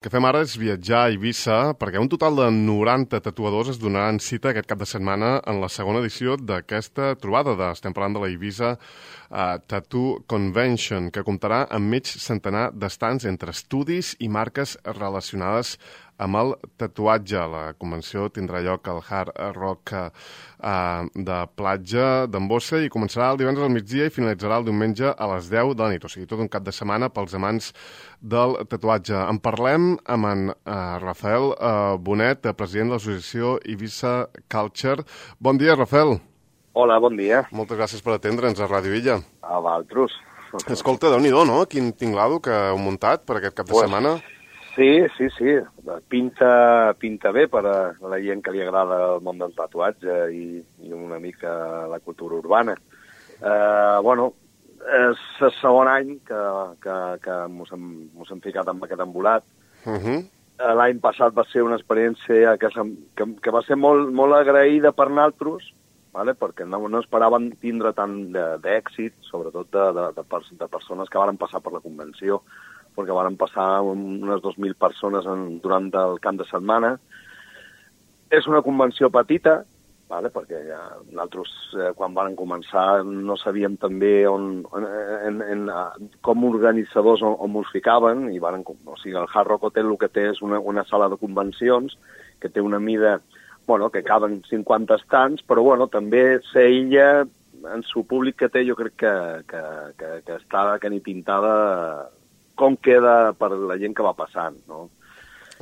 El que fem ara és viatjar a Eivissa perquè un total de 90 tatuadors es donaran cita aquest cap de setmana en la segona edició d'aquesta trobada. Estem parlant de la Eivissa Tattoo Convention, que comptarà amb mig centenar d'estants entre estudis i marques relacionades amb el tatuatge. La convenció tindrà lloc al Hard Rock de Platja d'en Bossa i començarà el divendres al migdia i finalitzarà el diumenge a les 10 de la nit. O sigui, tot un cap de setmana pels amants del tatuatge. En parlem amb en Rafael Bonet, president de l'associació Eivissa Culture. Bon dia, Rafael. Hola, bon dia. Moltes gràcies per atendre'ns a Ràdio Illa. A vosaltres. Escolta, Déu-n'hi-do, no? Quin tinglado que heu muntat per aquest cap de setmana. Sí. Pinta bé per a la gent que li agrada el món del tatuatge i una mica la cultura urbana. És el segon any que mos hem ficat amb aquest embolat. L'any passat va ser una experiència que va ser molt agraïda per nosaltres, vale? Perquè no esperaven tindre tant d'èxit, sobretot de persones que varen passar per la convenció, perquè varen passar unes 2.000 persones durant el camp de setmana. És una convenció petita, vale? Perquè nosaltres, quan varen començar, no sabíem també com organitzadors on ens ficaven, i el Hard Rock Hotel el que té és una sala de convencions que té una mida, que caben 50 estants, però també s'aïlla en su públic que té, jo crec que està ni pintada com queda per la gent que va passant, no?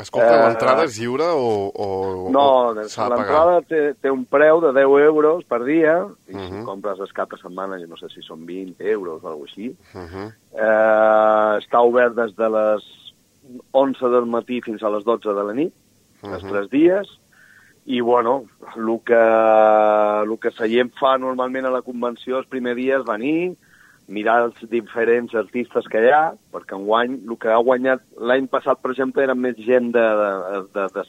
Escolta, l'entrada és lliure o no, s'ha de pagar? L'entrada té un preu de 10 euros per dia, i si compres el cap de setmana, jo no sé si són 20 euros o alguna cosa així. Està obert des de les 11 del matí fins a les 12 de la nit, els 3 dies, i, el que la gent fa normalment a la convenció els primers dies venir, mirar els diferents artistes que hi ha, perquè enguany el que ha guanyat l'any passat, per exemple, era més gent de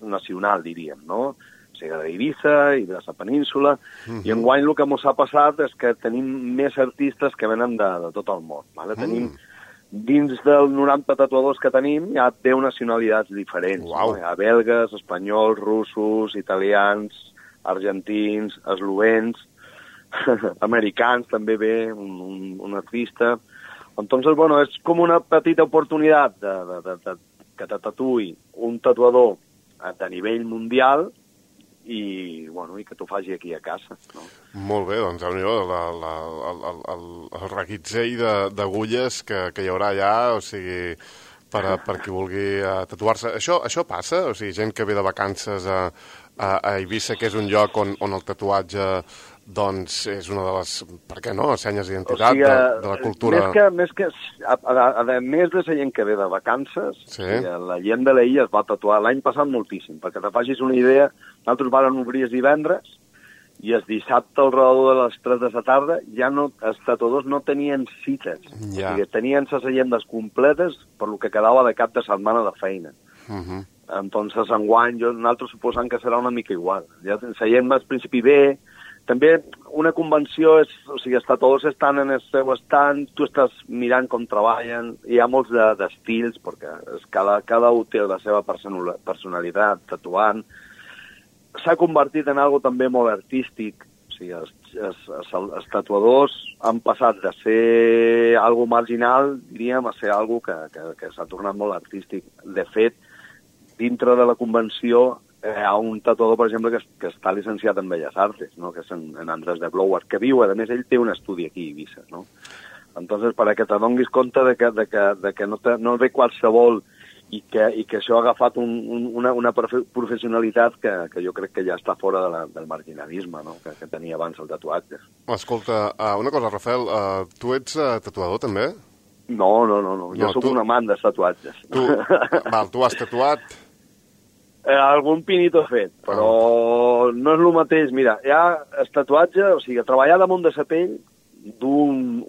nacional, diríem, no? O sigui, d'Eivissa i de la península, i enguany el que ens ha passat és que tenim més artistes que venen de tot el món, vale? Tenim, dins dels 90 tatuadors que tenim, hi ha 10 nacionalitats diferents. Uau. No? Hi ha belgues, espanyols, russos, italians, argentins, eslovens, americans, també ve un artista. Entonces, és com una petita oportunitat que te tatuï un tatuador de nivell mundial i que t'ho faci aquí a casa, no? Molt bé, doncs el reguitzell d'agulles que hi haurà allà, o sigui, per qui vulgui tatuar-se. Això passa? O sigui, gent que ve de vacances a Eivissa, que és un lloc on el tatuatge és una de les, per què no, senyes d'identitat de la cultura. A més de la gent que ve de vacances, la gent de l'illa es va tatuar l'any passat moltíssim, perquè te facis una idea, nosaltres vàrem obrir els divendres i el dissabte al redador de les 3 de la tarda els tatuadors no tenien cites, o sigui, tenien les agendes completes per lo que quedava de cap de setmana de feina. Entonces, enguany, nosaltres suposant que serà una mica igual. La gent al principi ve. També una convenció els tatuadors estan en el seu estant, tu estàs mirant com treballen, hi ha molts d'estils, perquè cada un té la seva personalitat tatuant. S'ha convertit en algo també molt artístic, o sigui, els tatuadors han passat de ser algo marginal, diríem, a ser algo que s'ha tornat molt artístic. De fet, dintre de la convenció hi ha un tatuador, per exemple, que està licenciat en Belles Artes, no? Que és en Andrés de Blower, que viu, a més, ell té un estudi aquí a Eivissa, no? Entonces, perquè te donis compte de que no ve qualsevol i que això ha agafat una professionalitat que jo crec que ja està fora del marginalisme, no? Que tenia abans el tatuatge. Escolta, una cosa, Rafael, tu ets tatuador, també? No, jo sóc un amant dels tatuatges. Tu has tatuat? Algun pinito fet, però no és el mateix. Mira, hi ha el tatuatge, o sigui, treballar damunt de la pell d'un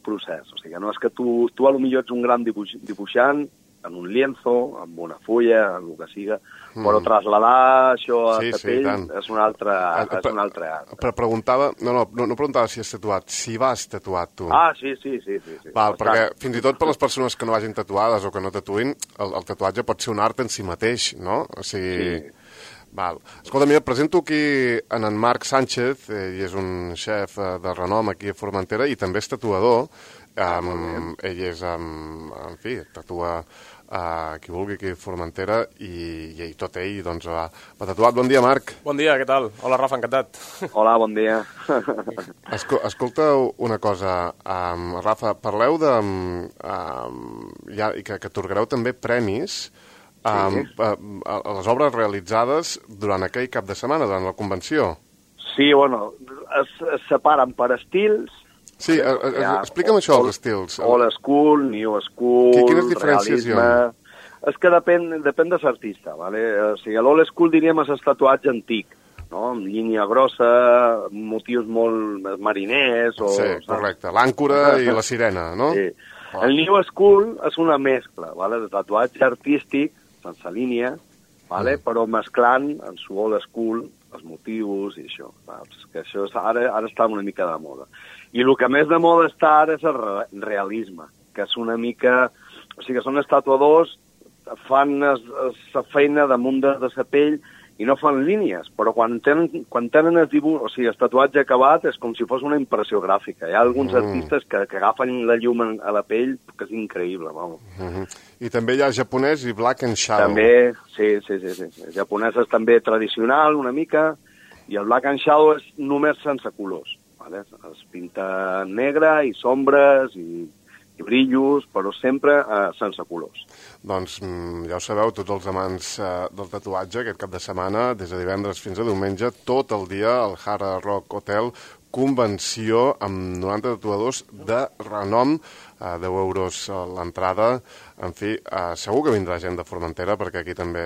procés. O sigui, no és que tu a lo millor ets un gran dibuixant en un lienzo, amb una fulla, en el que siga, però trasladar això a la pell és un altre art. Però preguntava, no preguntava si has tatuat, si vas tatuat tu. Ah, sí. Val, perquè fins i tot per les persones que no vagin tatuades o que no tatuïn, el tatuatge pot ser un art en si mateix, no? O sigui... Sí. Val. Escolta, mira, presento aquí en Marc Sánchez, ell és un xef de renom aquí a Formentera i també és tatuador. Ell és, en fi, tatua qui vulgui aquí a Formentera i tot ell doncs, va tatuat. Bon dia, Marc. Bon dia, què tal? Hola, Rafa, encantat. Hola, bon dia. Escolta una cosa, Rafa, parleu de... que atorgareu també premis a les obres realitzades durant aquell cap de setmana, durant la convenció. Sí, bueno, es separen per estils. Sí, explica'm això, els estils. Old school, new school, quines diferències hi ha? És que depèn de l'artista, ¿vale? O sigui, l'old school diríem és el tatuatge antic, no? Amb línia grossa, motius molt mariners... Sí, correcte, l'àncora i la sirena, no? Sí. El new school és una mescla, ¿vale? De tatuatge artístic, sense línia, ¿vale? Però mesclant en su old school els motius i això. Saps? Que això ara està una mica de moda. I el que més de moda està ara és el realisme, que és una mica... O sigui, que són els tatuadors, fan la feina damunt de la pell i no fan línies, però quan tenen el dibuix, o sigui, el tatuatge acabat és com si fos una impressió gràfica. Hi ha alguns artistes que agafen la llum a la pell, que és increïble, vamos. I també hi ha japonès i black and shadow. També, sí. El japonès és també tradicional, una mica, i el black and shadow és només sense colors. ¿Vale? Es pinta negre i sombres i brillos, però sempre sense colors. Doncs ja ho sabeu, tots els amants del tatuatge, aquest cap de setmana, des de divendres fins a diumenge, tot el dia al Hard Rock Hotel, convenció amb 90 tatuadors de renom, 10 euros l'entrada. En fi, segur que vindrà gent de Formentera, perquè aquí també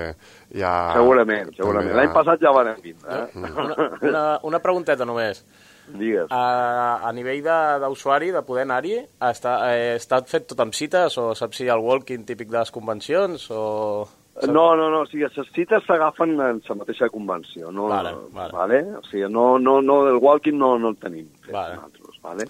hi ha... Segurament. L'any passat ja van vindre. Una pregunteta només. Digues. A nivell d'usuari, de poder anar-hi, està fet tot amb cites o saps si hi ha el walking típic de les convencions o... No, o sigui, les cites s'agafen en la mateixa convenció, no? Vale? O sigui, el walking no el tenim fet nosaltres, vale?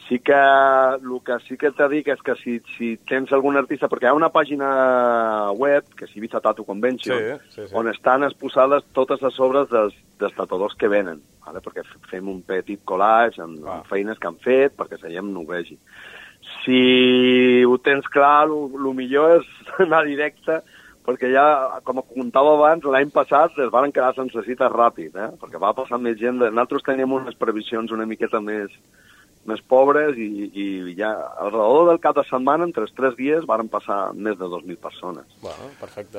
Sí que el que sí que t'he dit és que si tens algun artista, perquè hi ha una pàgina web, que és Ibiza Tattoo Convention, on estan exposades totes les obres dels tatuadors que venen, ¿vale? Perquè fem un petit collage amb feines que han fet, perquè la gent no ho vegi. Si ho tens clar, el millor és anar directe, perquè ja, com contava abans, l'any passat es van quedar sense cites ràpid, perquè va passar més gent. Nosaltres teníem unes previsions una miqueta més pobres i ja al redador del cap de setmana, entre els 3 dies, varen passar més de 2.000 persones. Bueno, perfecte.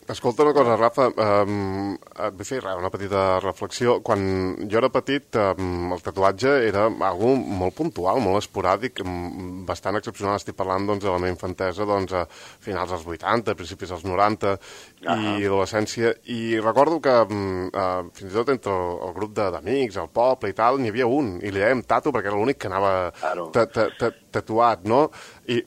Escolta una cosa, Rafa, et vull fer una petita reflexió. Quan jo era petit, el tatuatge era algo molt puntual, molt esporàdic, bastant excepcional. Estic parlant de la meva infantesa a finals dels 80, principis dels 90 i adolescència. I recordo que fins i tot entre el grup d'amics, el poble i tal, n'hi havia un, i li dèiem Tato perquè era l'únic que anava tatuat, no? I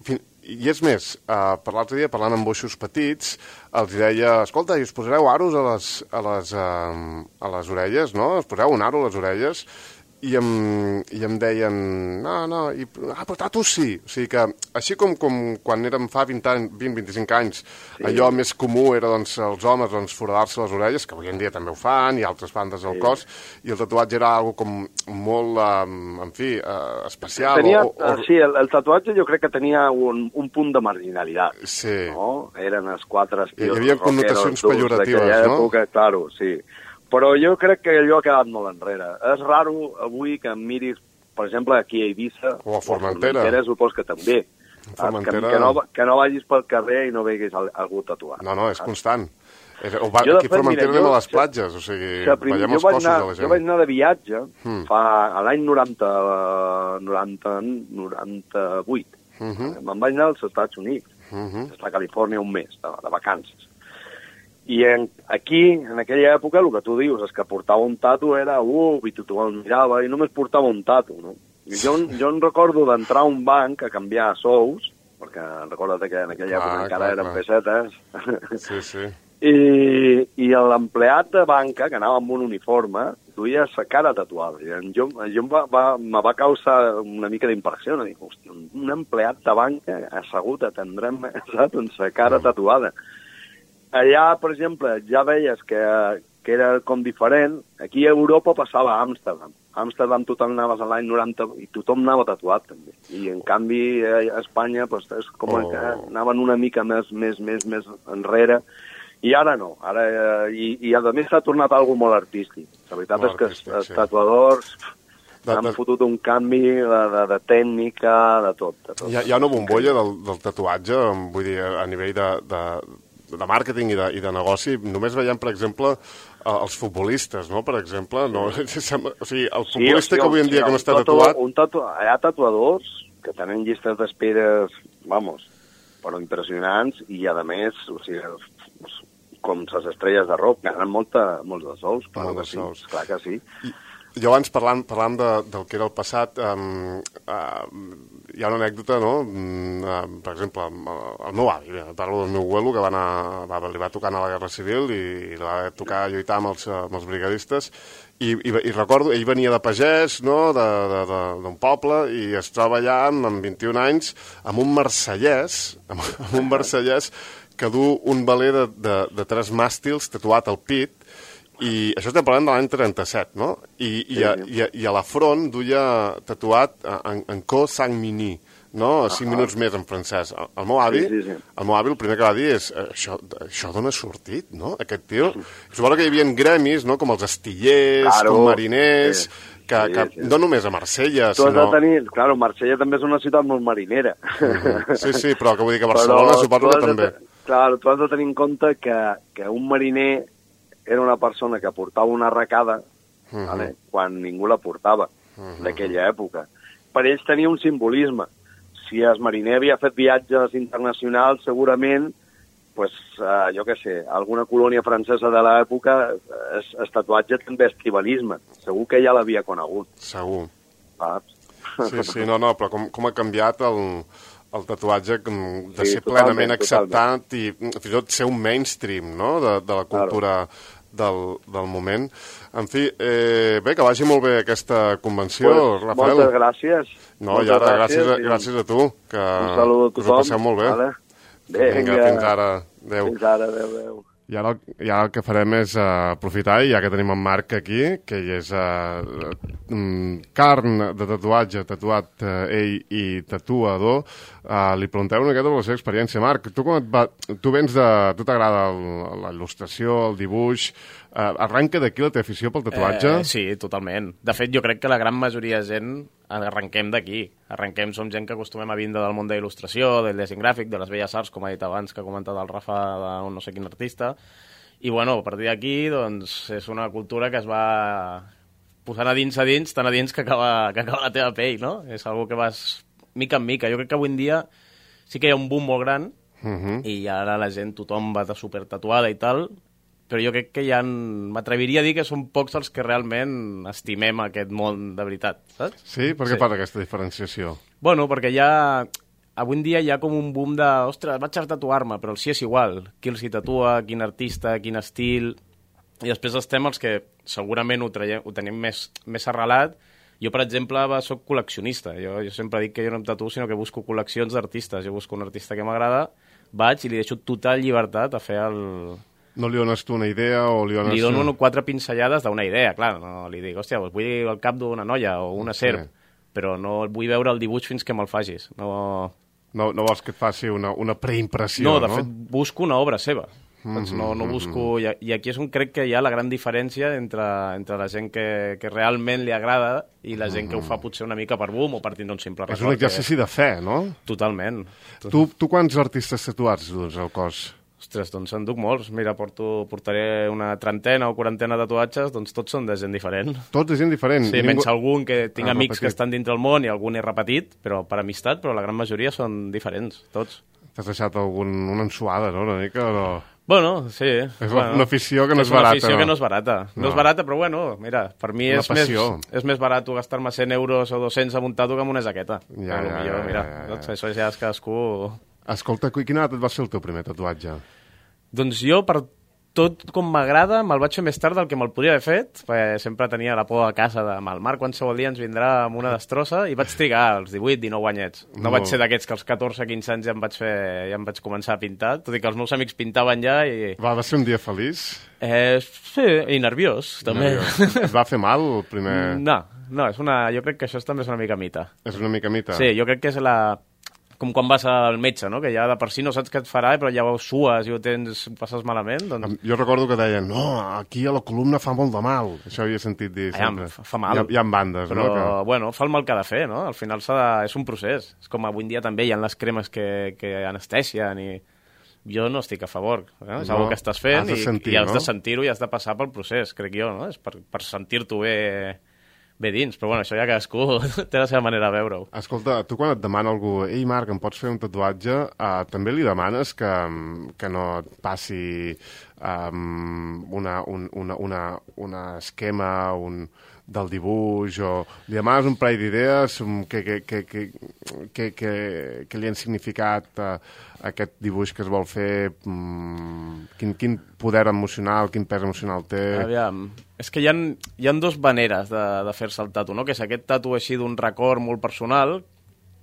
és més, per l'altre dia, parlant amb boixos petits, els deia, escolta, i us posareu aros a les orelles, no? Us poseu un aro a les orelles, i em deien, però tatus sí. O sigui que, així com quan érem fa 20-25 anys, allò més comú era els homes foradar-se les orelles, que avui en dia també ho fan, i altres bandes del cos, i el tatuatge era algo com molt, en fi, especial. Sí, el tatuatge jo crec que tenia un punt de marginalitat. Sí. No? Eren els 4 estils. Hi havia connotacions pejoratives, no? Claro, sí. Però jo crec que allò ha quedat molt enrere. És raro avui que em miris, per exemple, aquí a Eivissa, o a Formentera, supos que també. Que no vagis pel carrer i no veguis algú tatuat. No, és constant. Aquí a Formentera anem a les platges, o sigui, veiem els cossos de la gent. Jo vaig anar de viatge a l'any 98. Me'n vaig anar als Estats Units, a Califòrnia un mes, de vacances. I aquí, en aquella època, el que tu dius és que portava un tatu era, i tothom el mirava, i només portava un tatu, no? I jo em recordo d'entrar a un banc a canviar sous, perquè recorda't que en aquella època encara eren pessetes. Sí. I l'empleat de banca, que anava amb un uniforme, duia sa cara tatuada. I jo me va causar una mica d'impressió. No? Dic, hòstia, un empleat de banca assegut atendrem, saps? Amb sa cara tatuada. Allà, per exemple, ja veies que era com diferent. Aquí a Europa passava a Amsterdam. A Amsterdam tothom anaves a l'any 90 i tothom anava tatuat, també. I, en canvi, a Espanya pues, és com que anaven una mica més enrere. I ara no. I a més s'ha tornat algo molt artístic. La veritat és que els tatuadors han fotut un canvi de tècnica, de tot. Hi ha una bombolla del tatuatge, vull dir, a nivell de màrqueting i de negoci. Només veiem, per exemple, els futbolistes, no? Per exemple, no? O sigui, el futbolista que avui en dia que no està tatuat... Hi ha tatuadors que tenen llistes d'espera, però impressionants, i a més, o sigui, com les estrelles de rock, ganen molts de sous. Clar que sí. Jo abans, parlant del que era el passat, hi ha una anècdota, no? Per exemple, el meu avi, parlo del meu abuelo, que li va tocar a la Guerra Civil i li va tocar lluitar amb els brigadistes, i recordo, ell venia de pagès, no?, d'un poble, i es troba allà amb 21 anys amb un marsellès que du un veler de 3 màstils tatuat al pit. I això estem parlant de l'any 37, no? I a la front duia tatuat en Co Sang-Mini, no? 5 minuts més en francès. El meu avi el primer que va dir és això d'on ha sortit, no? Aquest tio. Suposo que hi havia gremis, no? Com els astillers, com mariners... Que no només a Marsella, sinó... Claro, Marsella també és una ciutat molt marinera. Sí, però que vull dir que Barcelona suposo que també. Clar, tu has de tenir en compte que un mariner era una persona que portava una arracada quan ningú la portava, d'aquella època. Per ells tenia un simbolisme. Si el mariner havia fet viatges internacionals, segurament, jo què sé, alguna colònia francesa de l'època, el tatuatge també és tribalisme. Segur que ja l'havia conegut. Segur. Saps? Sí, no, però com ha canviat el tatuatge de ser plenament acceptat i fins i tot ser un mainstream, no?, de la cultura del moment. En fi, bé, que vagi molt bé aquesta convenció, Rafael. Moltes gràcies. No, i ara gràcies a tu, que us ho passeu molt bé. Vinga, fins ara. Adéu. Fins ara, adéu. I ara el que farem és aprofitar, ja que tenim en Marc aquí, que ell és carn de tatuatge, tatuat ell i tatuador, li pregunteu una miqueta per la seva experiència. Marc, tu vens de... Tu t'agrada la il·lustració, el dibuix... Arranca d'aquí la teva afició pel tatuatge? Sí, totalment. De fet, jo crec que la gran majoria de gent arrenquem d'aquí. Som gent que acostumem a vindre del món de il·lustració, del disseny gràfic, de les belles arts, com ha dit abans, que ha comentat el Rafa, de no sé quin artista. I, bueno, a partir d'aquí, doncs, és una cultura que es va posant a dins, tan a dins que acaba la teva pell, no? És algo que vas mica en mica. Jo crec que avui en dia sí que hi ha un boom molt gran i ara la gent, tothom va de super tatuada i tal, però jo crec que m'atreviria a dir que són pocs els que realment estimem aquest món de veritat, saps? Sí? Per què fan aquesta diferenciació? Bueno, perquè avui en dia hi ha com un boom de, ostres, vaig a tatuar-me, però el sí és igual. Qui els hi tatua, quin artista, quin estil... I després estem els que segurament ho tenim més arrelat. Jo, per exemple, soc col·leccionista. Jo sempre dic que jo no em tatuo, sinó que busco col·leccions d'artistes. Jo busco un artista que m'agrada, vaig i li deixo total llibertat a fer el... No li dones tu una idea o li dones... Li dono 4 pinzellades d'una idea, clar. No li dic, hòstia, vull el cap d'una noia o una serp, però no vull veure el dibuix fins que me'l facis. No vols que et faci una preimpressió, no? No, de fet, busco una obra seva. No busco... I aquí és on crec que hi ha la gran diferència entre la gent que realment li agrada i la gent que ho fa potser una mica per boom o per tindre un simple record. És un exercici de fe, no? Totalment. Tu quants artistes tatuats dus al cos? Ostres, doncs en duc molts. Mira, portaré una 30 o 40 tatuatges, doncs tots són de gent diferent. Tots de gent diferent? Sí, menys algun que tinc amics que estan dintre el món i algun he repetit, però per amistat, però la gran majoria són diferents, tots. T'has deixat una ensuada, no?, una mica, o no? Bueno, sí. És una afició que no és barata. És una afició que no és barata. No és barata, però bueno, mira, per mi és més barat gastar-me 100 euros o 200 a un tatu que amb una jaqueta. Mira, això ja és cadascú... Escolta, quin edat et va ser el teu primer tatuatge? Doncs jo, per tot com m'agrada, me'l vaig fer més tard del que me'l podria haver fet, perquè sempre tenia la por a casa de el Marc qualsevol dia ens vindrà amb una destrossa, i vaig trigar als 18-19 anyets. No vaig ser d'aquests que als 14-15 anys ja em vaig començar a pintar, tot i que els meus amics pintaven ja i... Va ser un dia feliç? Sí, i nerviós, també. Et va fer mal el primer...? No, jo crec que això també és una mica mita. És una mica mita? Sí, jo crec que és com quan vas al metge, no? Que ja de per si no saps què et farà, però ja ho sues i ho passes malament. Doncs... Jo recordo que deien, no, aquí a la columna fa molt de mal. Això havia sentit dir sempre. Fa mal. Hi ha bandes, però, no? Però, bueno, fa el mal que ha de fer, no? Al final és un procés. És com avui en dia també hi ha les cremes que anestesien i... Jo no estic a favor. És una cosa que estàs fent i has de sentir-ho i has de passar pel procés, crec jo, no? És per sentir-t'ho bé dins, però bueno, això ja cadascú té la seva manera de veure-ho. Escolta, tu quan et demana algú, ei Marc, em pots fer un tatuatge, també li demanes que no et passi un esquema del dibuix, o li demanes un parell d'idees que li han significat aquest dibuix que es vol fer, quin poder emocional, quin pes emocional té... Aviam, és que hi ha dues maneres de fer-se el tatu, no? Que és aquest tatu així d'un record molt personal,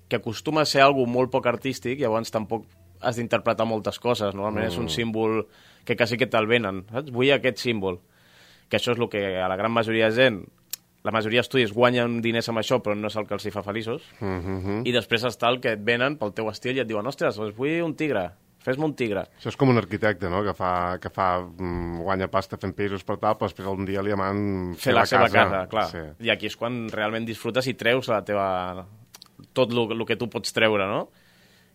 que acostuma a ser algo molt poc artístic, llavors tampoc has d'interpretar moltes coses, normalment és un símbol que quasi que te'l venen, saps? Vull aquest símbol, que això és el que a la gran majoria de gent, la majoria d'estudis guanyen diners amb això, però no és el que els hi fa feliços, i després està el que et venen pel teu estil i et diuen, ostres, doncs vull un tigre, fes-me un tigre. Això és com un arquitecte, no?, que guanya pasta fent pisos per tal, però després un dia li demanen fer la seva casa, clar. Sí. I aquí és quan realment disfrutes i treus tot el que tu pots treure, no?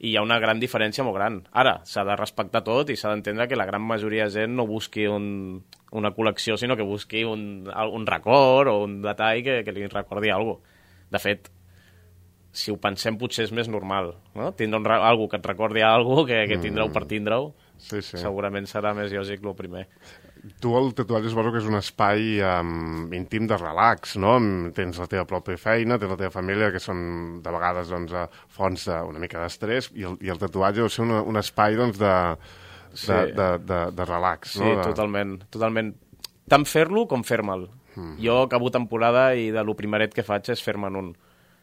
I hi ha una gran diferència molt gran. Ara, s'ha de respectar tot i s'ha d'entendre que la gran majoria de gent no busqui una col·lecció, sinó que busqui un record o un detall que li recordi alguna cosa. De fet, si ho pensem, potser és més normal, no? Tindre algú que et recordi alguna cosa que tindreu per tindre-ho, sí. Segurament serà més lògic el primer. Tu el tatuatge suposo que és un espai íntim de relax, no? Tens la teva pròpia feina, tens la teva família, que són de vegades fonts una mica d'estrès, i el tatuatge deu ser un espai de relax, no? Sí, totalment. Tant fer-lo com fer-me'l. Jo acabo temporada i de lo primeret que faig és fer-me'n un.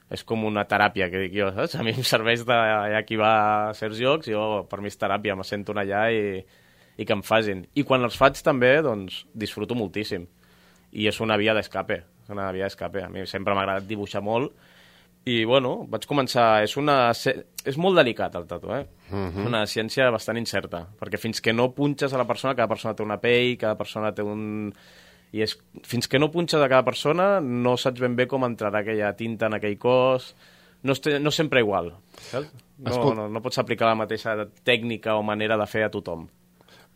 És com una teràpia, que dic jo, saps? A mi em serveix qui va a certs llocs, per mi és teràpia, me sento allà i que em facin. I quan els faig també, doncs, disfruto moltíssim. I és una via d'escape, A mi sempre m'ha agradat dibuixar molt. I, bueno, vaig començar... És molt delicat, el tatu, És una ciència bastant incerta, perquè fins que no punxes a la persona, cada persona té una pell, cada persona té un... fins que no punxes a cada persona, no saps ben bé com entrarà aquella tinta en aquell cos... No sempre igual, saps? No pots aplicar la mateixa tècnica o manera de fer a tothom.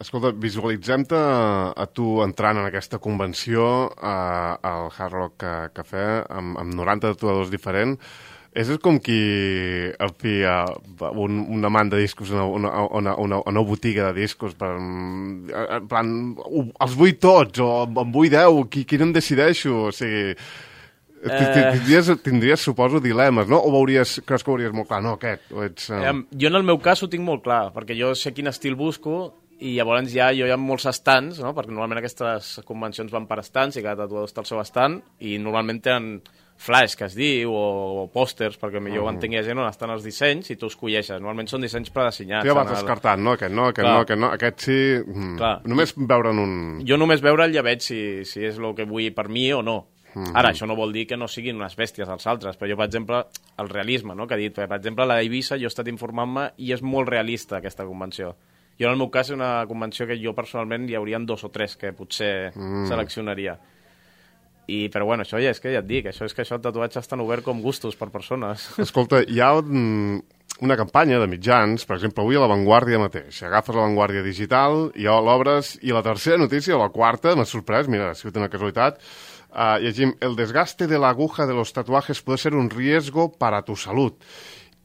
Escolta, visualitzem-te a tu entrant en aquesta convenció al Hard Rock Cafè amb 90 tatuadors diferents. És com qui una man de discos a una botiga de discos en plan, els vull tots o en vull 10, qui no em decideixo? O sigui, tindries, suposo, dilemes, no? O creus que ho veuries molt clar? No, aquest. Jo en el meu cas ho tinc molt clar, perquè jo sé quin estil busco. I llavors hi ha molts estants, no? Perquè normalment aquestes convencions van per estants i cada tatuador està al seu estant i normalment tenen flash, que es diu, o pòsters, perquè millor ho entengui la gent on estan els dissenys i tu els colleixes. Normalment són dissenys predissenyats. Tu ja vas descartant, no? Aquest no, aquest sí... Només veure'n un... Jo només veure'l ja veig si és el que vull per mi o no. Ara, això no vol dir que no siguin unes bèsties els altres, però jo, per exemple, el realisme, no?, que he dit, per exemple, la d'Eivissa jo he estat informant-me i és molt realista aquesta convenció. Jo, en el meu cas, és una convenció que jo, personalment, hi haurien 2 o 3 que potser seleccionaria. Però, bueno, això ja et dic, això és que el tatuatge és tan obert com gustos per persones. Escolta, hi ha una campanya de mitjans, per exemple, avui a La Vanguardia mateix. Agafes La Vanguardia digital, i l'obres, i la tercera notícia, o la quarta, m'ha sorprès, mira, ha sigut una casualitat, llegim, el desgaste de la aguja de los tatuajes puede ser un riesgo para tu salud.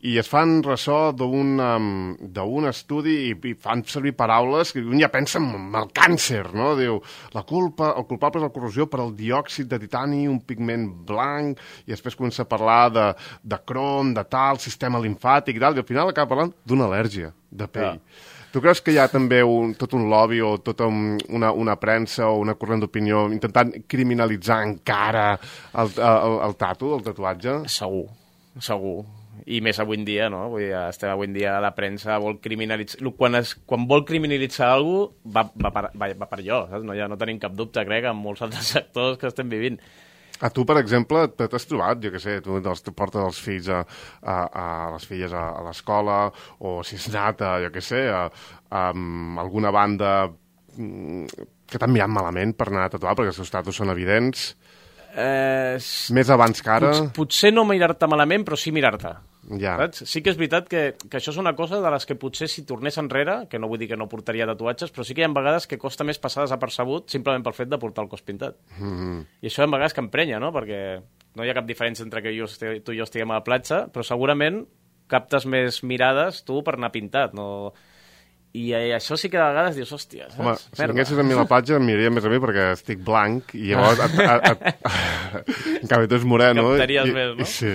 i es fan ressò d'un estudi i fan servir paraules que un ja pensa en el càncer, no? Diu, el culpable és la corrosió per al diòxid de titani, un pigment blanc, i després comença a parlar de crom, de tal, sistema limfàtic i tal, i al final acaba parlant d'una al·lèrgia de pell. Tu creus que hi ha també tot un lobby o tota una premsa o una corrent d'opinió intentant criminalitzar encara el tatuatge? Segur. I més avui en dia, no? Vull dir, estem avui en dia la premsa vol criminalitzar... Quan vol criminalitzar alguna cosa, va per allò, saps? No, ja no tenim cap dubte, crec, en molts altres sectors que estem vivint. A tu, per exemple, t'has trobat, jo què sé, tu portes els fills les filles a l'escola, o si has anat, jo què sé, a alguna banda que t'han mirat malament per anar a tatuar, perquè els seus tatus són evidents... Més abans que ara... Potser no mirar-te malament, però sí mirar-te. Ja. Saps? Sí que és veritat que això és una cosa de les que potser si tornés enrere, que no vull dir que no portaria tatuatges, però sí que hi ha vegades que costa més passar desapercebut simplement pel fet de portar el cos pintat. I això hi ha vegades que emprenya, no? Perquè no hi ha cap diferència entre que tu i jo estiguem a la platja, però segurament captes més mirades tu per anar pintat, no... I això sí que de vegades dius, hòstia, saps? Home, si vinguessis a mi a la platja em miraria més a mi perquè estic blanc i llavors en canvi tu ets moreno. Captaries més, no? Sí.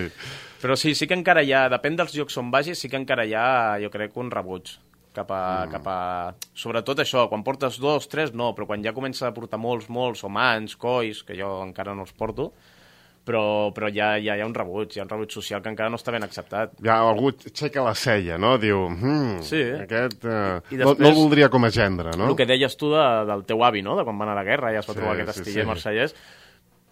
Però sí que encara hi ha, depèn dels llocs on vagis, sí que encara hi ha, jo crec, un rebuig cap a... Sobretot això, quan portes 2, 3, no, però quan ja comença a portar molts, o mans, colls, que jo encara no els porto, però ja hi ha un rebuig social que encara no està ben acceptat. Ja algú aixeca la cella, no? Diu, sí. Aquest I després, no el voldria com a gendre, no? El que deies tu del teu avi, no? De quan van a la guerra, ja es va trobar aquest estiller marsellès.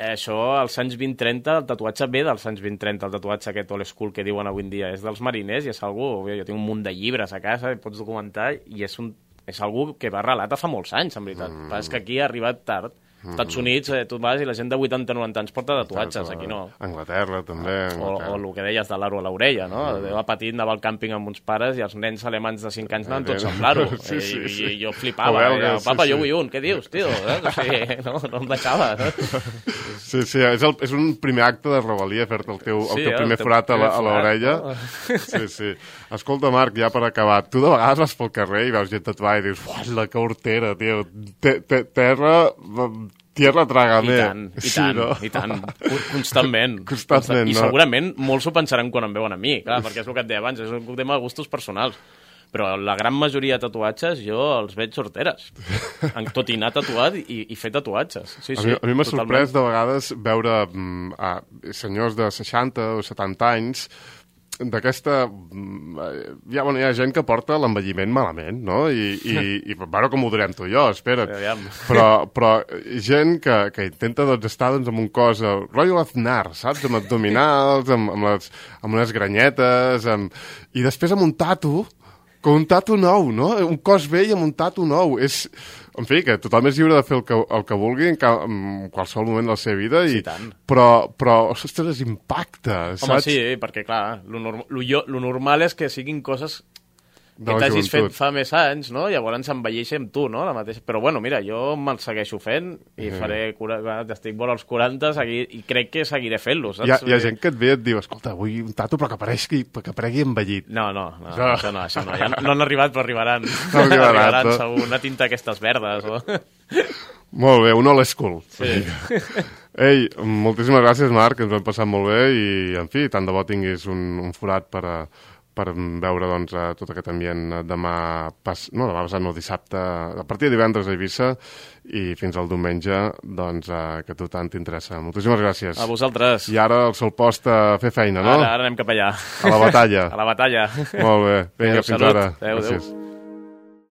Això, als anys 20-30, el tatuatge ve dels anys 20-30, el tatuatge aquest old school que diuen avui en dia. És dels mariners i és algú... Jo tinc un munt de llibres a casa, pots documentar, i és algú que va relata fa molts anys, en veritat. Però és que aquí ha arribat tard. Als Estats Units, tu vas i la gent de 80-90 anys porta tatuatges, aquí no. Anglaterra, també. O el que deies de l'aro a l'orella, no? Va petit, anava al càmping amb uns pares i els nens alemans de 5 anys anaven tots amb l'aro. I jo flipava. Papa, jo vull un. Què dius, tio? No em deixava. Sí, és un primer acte de rebel·lia fer-te el teu primer forat a l'orella. Sí. Escolta, Marc, ja per acabar, tu de vegades vas pel carrer i veus gent tatuada i dius, uala, que hortera, tio. Tierra trágame. I tant. Constantment, no? I segurament molts ho pensaran quan em veuen a mi, clar, perquè és el que et deia abans, és un tema de gustos personals. Però la gran majoria de tatuatges jo els veig sorteres. Tot i anar tatuat i fer tatuatges. Sí, a mi m'ha sorprès de vegades veure senyors de 60 o 70 anys d'aquesta... Hi ha gent que porta l'envelliment malament, no? I bueno, com ho durem tu i jo, espera't. Però gent que intenta estar en un cos rotllo Aznar, saps? Amb abdominals, amb unes granyetes, i després amb un tatu, com un tatu nou, no? Un cos vell amb un tatu nou. En fi, que tothom és lliure de fer el que vulgui en qualsevol moment de la seva vida, però ostres, impacta, saps? Home, sí, perquè clar, lo normal és que siguin coses que t'hagis fet fa més anys, no? Llavors envelleixi amb tu, no? La mateixa... Però bueno, mira, jo me'l segueixo fent i estic vora als 40 i crec que seguiré fent-lo, saps? Hi ha gent que et ve i et diu, escolta, vull un tatu però que aparegui envellit. No, això no. Ja no han arribat, però arribaran. Arribaran, segur. Una tinta aquestes verdes. Molt bé, un old school. Sí. Ei, moltíssimes gràcies, Marc, ens ho hem passat molt bé i, en fi, tant de bo tinguis un forat per veure doncs, tot aquest ambient demà passat, no, dissabte, a partir de divendres a Eivissa i fins al diumenge, doncs, que a tu tant t'interessa. Moltíssimes gràcies. A vosaltres. I ara el sol post a fer feina, no? Ara anem cap allà. A la batalla. A la batalla. Molt bé. Vinga, fins ara. Adéu.